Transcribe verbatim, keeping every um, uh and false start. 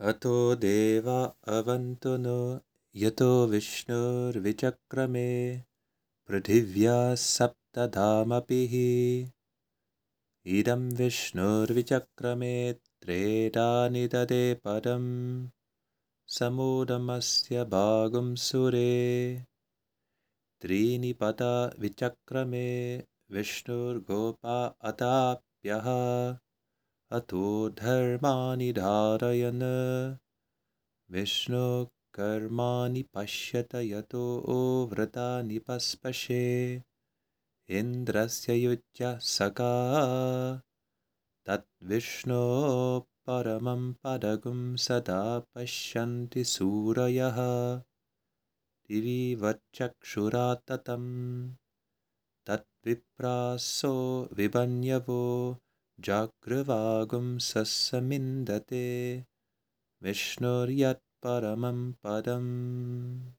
अतो देवा अवन्तु नो यतो विष्णुर्विचक्रमे पृथिव्या सप्तधामपि इदं विष्णुर्विचक्रमे त्रेतानि ददे पदं समूढमस्य भागं सुरे त्रीणि पदा विचक्रमे विष्णुर्गोपा अताप्यः अतो धर्माणि धारयन् विष्णु कर्माणि पश्यत यतो व्रतानि पस्पशे इन्द्रस्य युज्य सखा तद्विष्णो परमं पदगुं सदा पश्यन्ति सूरयः दिवि वच्चक्षुरा ततं तद्विप्रासो विभन्यवो जागृवागुं सस्समिन्दते विष्णुर्यत्परमं पदम्।